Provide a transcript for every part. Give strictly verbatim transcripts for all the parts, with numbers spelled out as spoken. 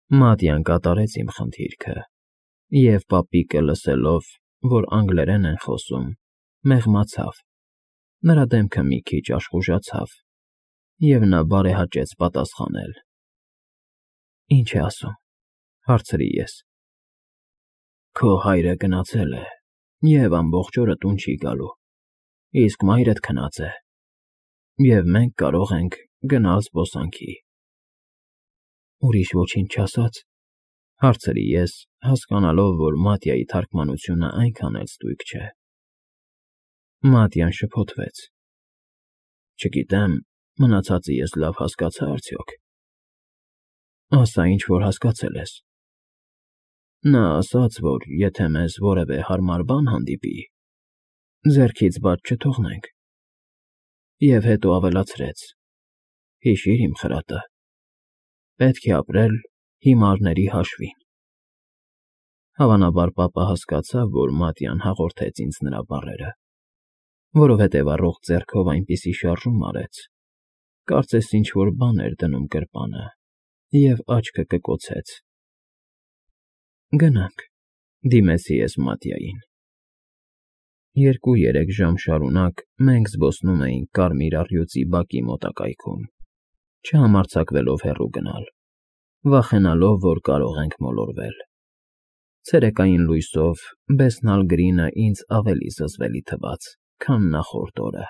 Մատյան կատարեց իմ խնդիրքը, և պապիկը, լսելով, որ անգլերեն են խոսում, մեղմացավ, նրա դեմքը մի քիչ աշխուժացավ, և նա բարեհաճեց պատասխանել։ ֊ Ի՞նչ է ասում,֊ հարցրի ես։ ֊ Քո հայրը գնացել է և ամբողջ օրը տուն չի գալու, իսկ մայրդ քնած է, և մենք կարող ենք գնալ զբոսանքի։ ֊ Ուրիշ ոչինչ չասա՞ց,֊ հարցրի ես, հասկանալով, որ Մատյայի թարգմանությունն այնքան էլ ստույգ չէ։ Մատյան շփոթվեց։ ֊ Չգիտեմ, մնացածը ես լավ հասկացա՞ արդյոք։ ֊ Ասա, ինչ որ հասկացել ես։ ֊ Նա ասաց, որ եթե մեզ որևէ հարմար բան հանդիպի, ձեռքից բաց չթողնենք, և հետո ավելացրեց. «Հիշի՛ր, իմ խրատը, պետք է ապրել հիմարների հաշվին»։ Հավանաբար պապը հասկացավ, որ Մատյան հաղորդեց ինձ նրա բառերը, որովհետև առողջ ձեռքով այնպիսի շարժում արեց, կարծես ինչ֊որ բան էր դնում գրպանը, և աչքը կկոցեց։ ֊ Գնանք,֊ դիմեցի ես Մատյային։ Երկու֊երեք ժամ շարունակ մենք զբոսնում էինք կարմիր առյուծի բակի մոտակայքում, չհամարձակվելով հեռու գնալ, վախենալով, որ կարող ենք մոլորվել։ Ցերեկային լույսով Բեսնալ Գրինը ավելի զզվելի թվաց, քան նախորդ օրը։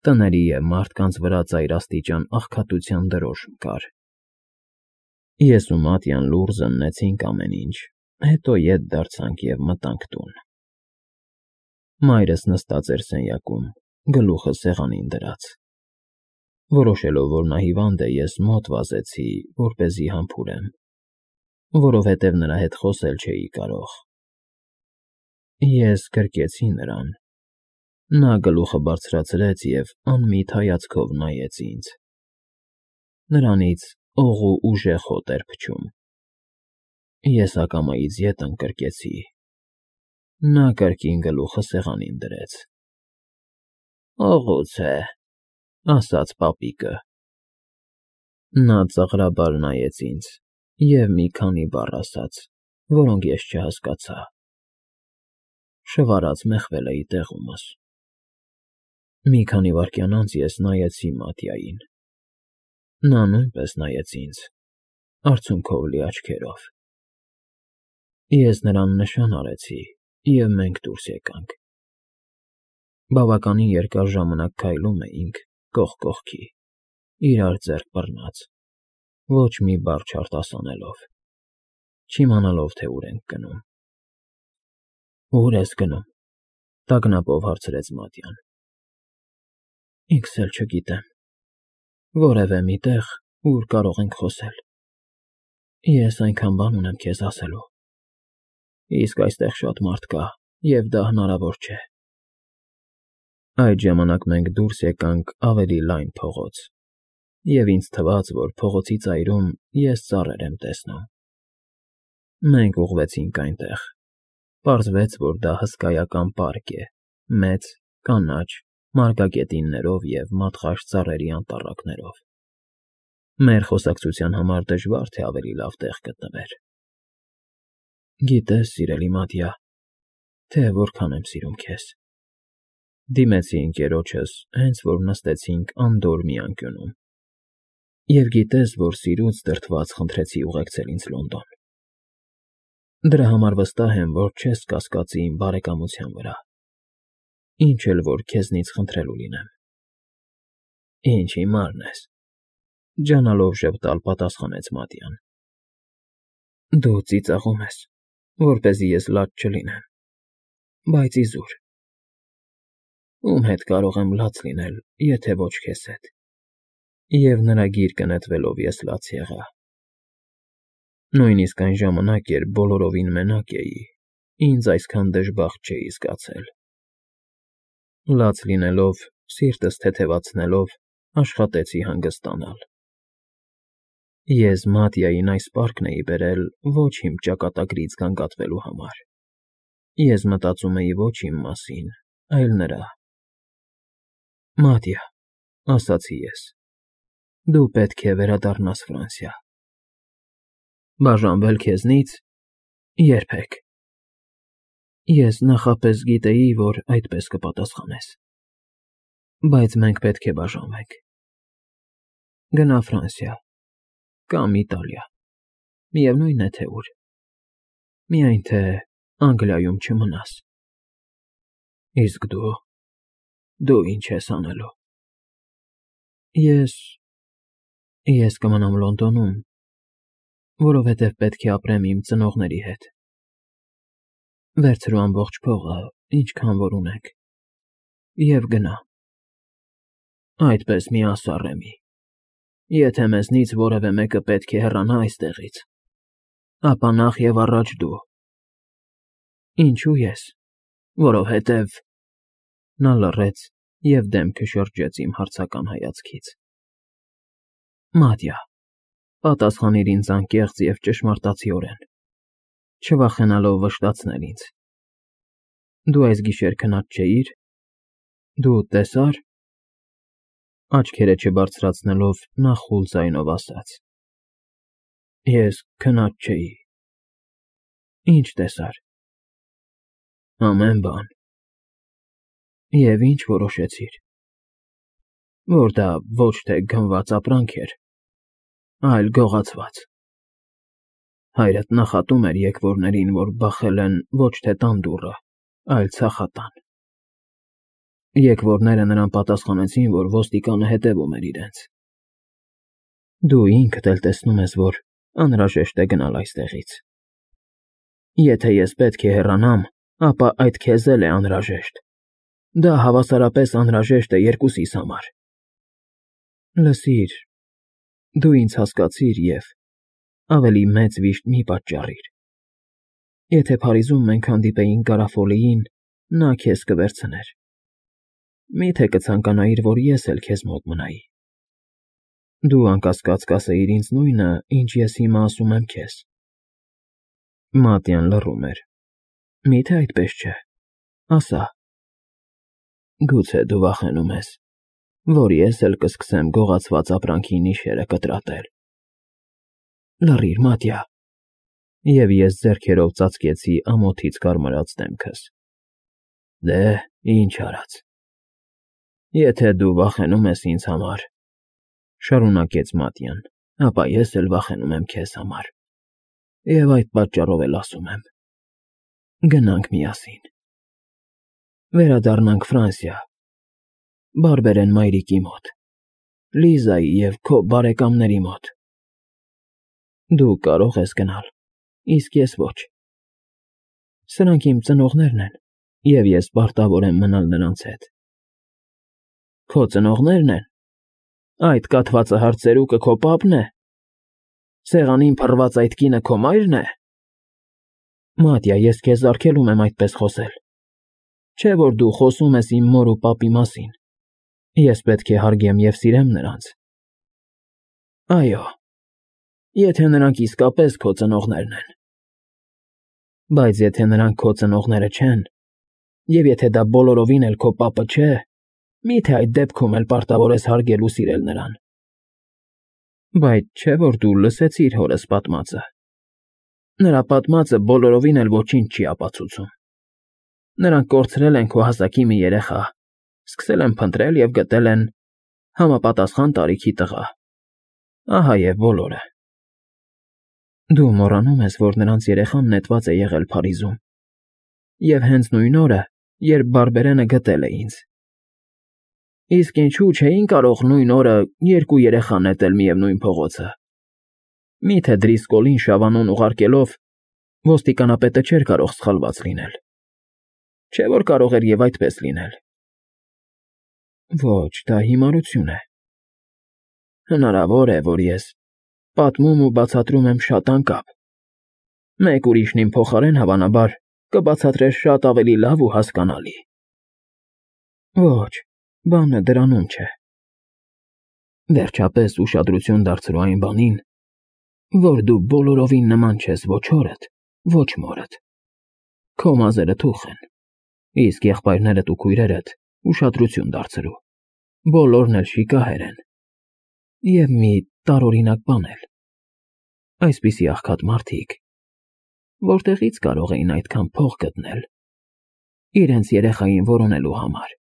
Տների և մարդկանց վրա ծայրաստիճան աղքատության դրոշմ կար։ Ես ու Մատյան լուռ զննեցինք ամեն ինչ, հետո ետ դարձանք և մտանք տուն։ Մայրս նստած էր սենյակում, գլուխը սեղանին դրած։ Որոշելով, որ նա հիվանդ է, ես մոտ վազեցի, որպեսզի համբուրեմ, որովհետև նրա հետ խոսել չէի կարող։ Ես գրկեցի նրան։ Նա գլուխը բարձրացրեց և անմիտ հայացքով նայեց ինձ։ Նրանից օղ ու ուժեղ հոտ էր փչում։ Ես ակամայից ետ ընկրկեցի։ Նա կրկին գլուխը սեղանին դրեց։ ֊ Օղուց է,֊ ասաց պապիկը։ Նա ծաղրաբար նայեց ինձ և մի քանի բառ ասաց, որոնք ես չհասկացա։ Շվարած մեղվել էի տեղումս։ Մի քանի վայրկյան անց ես նայեցի Մատյային։ Նա նույնպես նայեց ինձ, արցունքով լի աչքերով։ Ես նրան նշան արեցի, և մենք դուրս եկանք։ Բավականին երկար ժամանակ քայլում էինք կողք կողքի, իրար ձեռք բռնած, ոչ մի բառ չարտասանելով, չիմանալով, թե ուր ենք գնում։ ֊ Ո՞ւր ես գնում,֊ տագնապով հարցրեց Մատյան։ ֊ Ինքս էլ չգիտեմ, որևէ մի տեղ, ուր կարող ենք խոսել։ Ես այնքան բան ունեմ քեզ ասելու, իսկ այստեղ շատ մարդ կա, և դա հնարավոր չէ։ Այդ ժամանակ մենք դուրս եկանք ավելի լայն փողոց, և ինձ թվաց, որ փողոցի ծայրում ես ծառեր եմ տեսնում։ Մենք ուղղվեցինք այնտեղ։ Պարզվեց, որ դա հսկայական պարկ է՝ մեծ, կանաչ, մարգագետիններով և մատղաշ ծառերի անտառակներով։ Մեր խոսակցության համար դժվար թե ավելի լավ տեղ գտնվեր։ Գիտես, սիրելի Մատյա, թե որքան եմ սիրում քեզ,֊ դիմեցի ընկերոջս, հենց որ նստեցինք անդորր մի անկյունում,֊ և գիտես, որ սիրուց դրդված խնդրեցի ուղեկցել ինձ Լոնդոն։ Դրա համար վստահ եմ, որ չես կասկածի իմ բարեկամության վրա, ինչ էլ որ քեզնից խնդրելու լինեմ։ ֊ Ինչ հիմարն ես,֊ ջանալով ժպտալ պատասխանեց Մատյան։ ֊ Դու ծիծաղում ես, որպեսզի ես լաց չլինեմ, բայց իզուր։ ֊ Ում հետ կարող եմ լաց լինել, եթե ոչ քեզ հետ։ Եվ նրա գիրկը նետվելով ես լաց եղա։ Նույնիսկ այն ժամանակ, երբ բոլորովին մենակ էի, ինձ այսքան դժբախտ չէի զգացել։ Լաց լինելով, սիրտս թեթևացնելով, աշխատեցի հանգստանալ։ Ես Մատյային այս պարկն էի բերել ոչ իմ ճակատագրից գանգատվելու համար։ Ես մտածում էի ոչ իմ մասին, այլ նրա։ ֊ Մատյա,֊ ասացի ես,֊ դու պետք է վերադառնաս Ֆրանսիա։ Բաժանվել քեզնից երբեք։ Ես նախապես գիտեի, որ այդպես կպատասխանես։ Բայց մենք պետք է բաժանվենք։ Գնա Ֆրանսիա կամ Իտալիա, միևնույն է թե ուր, միայն թե Անգլիայում չմնաս։ Իսկ դու, դու ինչ ես անելու։ Ես, ես կմնամ Լոնդոնում, որովհետև պետք է ապրեմ իմ ծնողների հետ։ Վերցրու ամբողջ փողը, ինչքան որ ունեք, և գնա։ Այդպես մի ասա, Ռեմի, եթե մեզնից որևէ մեկը պետք է հեռանա այստեղից, ապա նախ և առաջ դու։ Ինչու ես, որովհետև… Նա լռեց և դեմքը շրջեց իմ հարցական հայացքից։ Մատյա, պատասխանիր ինձ անկեղծ և ճշմարտացիորեն, չվախենալով վշտացնել ինձ։ Դու այս գիշեր քնած չէի՞ր, դու տեսա՞ր… Աչքերը չբարձրացնելով նա խուլ ձայնով ասաց. Ես քնած չէի։ Ինչ տեսար։ Ամեն բան։ Եվ ինչ որոշեցիր։ Որ դա ոչ թե գնված ապրանք էր, այլ գողացված։ Հայրդ նախատում էր եկվորներին, որ բախել են ոչ թե տան դուռը, այլ ցախատան։ Եկվորները նրան պատասխանեցին, որ ոստիկանը հետևում էր իրենց։ Դու ինքդ էլ տեսնում ես, որ անհրաժեշտ է գնալ այստեղից։ Եթե ես պետք է հեռանամ, ապա այդ քեզ էլ է անհրաժեշտ։ Դա հավասարապես անհրաժեշտ է երկուսիս համար։ Լսիր, դու ինձ հասկացիր և ավելի մեծ վիշտ մի պատճառիր։ Եթե Փարիզում մենք հանդիպեինք Գարաֆոլիին, նա քեզ կվերցներ։ Մի՞թե կցանկանայիր, որ ես էլ քեզ մոտ մնայի։ Դու անկասկած կասեիր ինձ նույնը, ինչ ես հիմա ասում եմ քեզ։ Մատյան լռում էր։ Մի՞թե այդպես չէ, ասա։ Գուցե դու վախենում ես, որ ես էլ կսկսեմ գողացված ապրանքի նիշերը կտրատել։ Լռիր, Մատյա։ Եվ ես ձեռքերով ծածկեցի ամոթից կարմրած դեմքս։ Դե, ինչ արած։ Եթե դու վախենում ես ինձ համար, շարունակեց Մատյան, ապա ես էլ վախենում եմ քեզ համար։ Եվ այդ պատճառով էլ ասում եմ. գնանք միասին։ Վերադառնանք Ֆրանսիա, Բարբերեն մայրիկի մոտ, Լիզայի և քո բարեկամների մոտ։ Դու կարող ես գնալ, իսկ ես ոչ։ Սրանք իմ ծնողներն են, և ես պարտավոր եմ մնալ նրանց հետ։ Քո ծնողնե՞րն են։ Այդ կաթվածահար ծերուկը քո պապն է։ Սեղանին փռված այդ կինը քո մայրն է։ Մատյա, ես քեզ արգելում եմ այդպես խոսել։ Չէ՞ որ դու խոսում ես իմ մոր ու պապի մասին։ Ես պետք է հարգեմ և սիրեմ նրանց։ Այո, եթե նրանք իսկապես քո ծնողներն են։ Բայց եթե նրանք քո ծնողները չեն, և եթե դա բոլորովին էլ քո պապը չէ, մի՞թե այդ դեպքում էլ պարտավոր ես հարգել ու սիրել նրան։ Բայց չէ՞ որ դու լսեցիր հորս պատմածը։ Նրա պատմածը բոլորովին էլ ոչինչ չի ապացուցում։ Նրանք կորցրել են քո հասակի մի երեխա, սկսել են փնտրել և գտել են համապատասխան տարիքի տղա։ Ահա և բոլորը։ Դու մոռանում ես, որ նրանց երեխան նետված է եղել Փարիզում։ Եվ հենց նույն օրը, երբ Բարբերենը գտել է ինձ։ Իսկ ինչու չէին կարող նույն օրը երկու երեխա նետել միևնույն փողոցը։ Մի՞թե Դրիսկոլին Շավանուն ուղարկելով ոստիկանապետը չէր կարող սխալված լինել։ Չէ՞ որ կարող էր և այդպես լինել։ Ոչ, դա հիմարություն է։ Հնարավոր է, որ ես պատմում ու բացատրում եմ շատ անկապ։ Մեկ ուրիշն իմ փոխարեն, հավանաբար, կբացատրեր շատ ավելի լավ ու հասկանալի։ Ոչ, բանը դրանում չէ։ Վերջապես ուշադրություն դարձրու այն բանին, որ դու բոլորովին նման չես ոչ հորդ, ոչ մորդ։ Քո մազերը թուխ են, իսկ եղբայրներդ ու քույրերդ ուշադրություն դարձրու, բոլորն էլ շիկահեր են։ Եվ մի տարօրինակ բան էլ։ Այսպիսի աղքատ մարդիկ որտեղի՞ց կարող էին այդքան փող գտնել իրենց երեխային որոնելու համար։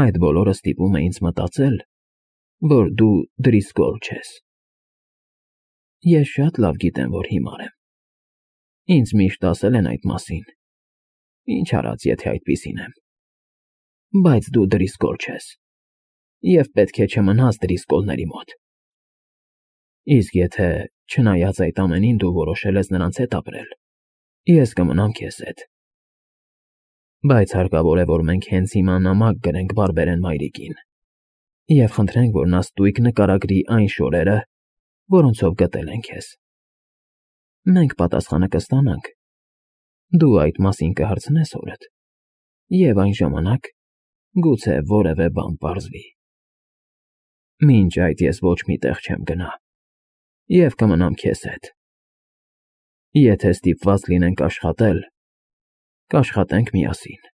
Այդ բոլորը ստիպում է ինձ մտածել, որ դու Դրիսկոլ չես։ Ես շատ լավ գիտեմ, որ հիմար եմ։ Ինձ միշտ ասել են այդ մասին, ինչ արած, եթե այդպիսին եմ։ Բայց դու Դրիսկոլ չես, և պետք է չմնաս Դրիսկոլների մոտ։ Իսկ եթե, չնայած այդ ամենին, դու որոշել ես նրանց հետ ապրել, ես կմնամ քեզ հետ։ Բայց հարկավոր է, որ մենք հենց հիմա նամակ գրենք բարբերեն մայրիկին և խնդրենք, որ նա ստույգ նկարագրի այն շորերը, որոնցով գտել են քեզ։ Մենք պատասխանը կստանանք, դու այդ մասին կհարցնես հորդ, և այն ժամանակ գուցե որևէ բան պարզվի։ Մինչ այդ ես ոչ մի տեղ չեմ գնա և կմնամ քեզ հետ։ Եթե ստիպված լինենք աշխատել, կաշխատենք միասին։